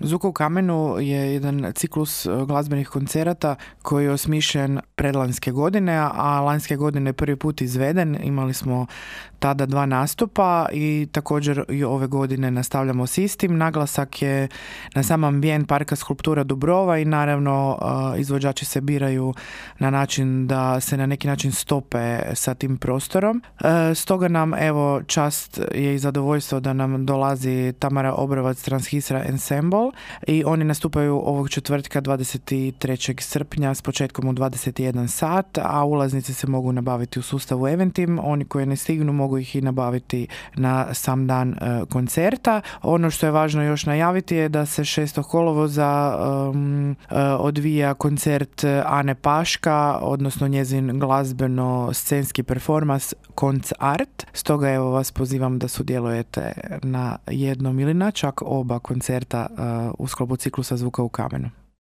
Zvuka u kamenu je jedan ciklus glazbenih koncerata koji je osmišljen predlanjske godine, a lanjske godine je prvi put izveden. Imali smo tada 2 nastupa i također i ove godine nastavljamo s istim. Naglasak je na sam ambijent Parka skulptura Dubrova i naravno izvođači se biraju na način da se na neki način stope sa tim prostorom. Stoga nam evo čast je i zadovoljstvo da nam dolazi Tamara Obrovac Transhisra Ensemble i oni nastupaju ovog četvrtka 23. srpnja s početkom u 21 sat, a ulaznice se mogu nabaviti u sustavu Eventim. Oni koji ne stignu mogu ih i nabaviti na sam dan koncerta. Ono što je važno još najaviti je da se 6. kolovoza odvija koncert Ane Paška, odnosno njezin glazbeno-scenski performans Konc Art. Stoga evo vas pozivam da sudjelujete na jednom ili na čak oba koncerta u sklopu ciklusa Zvuka u kamenu.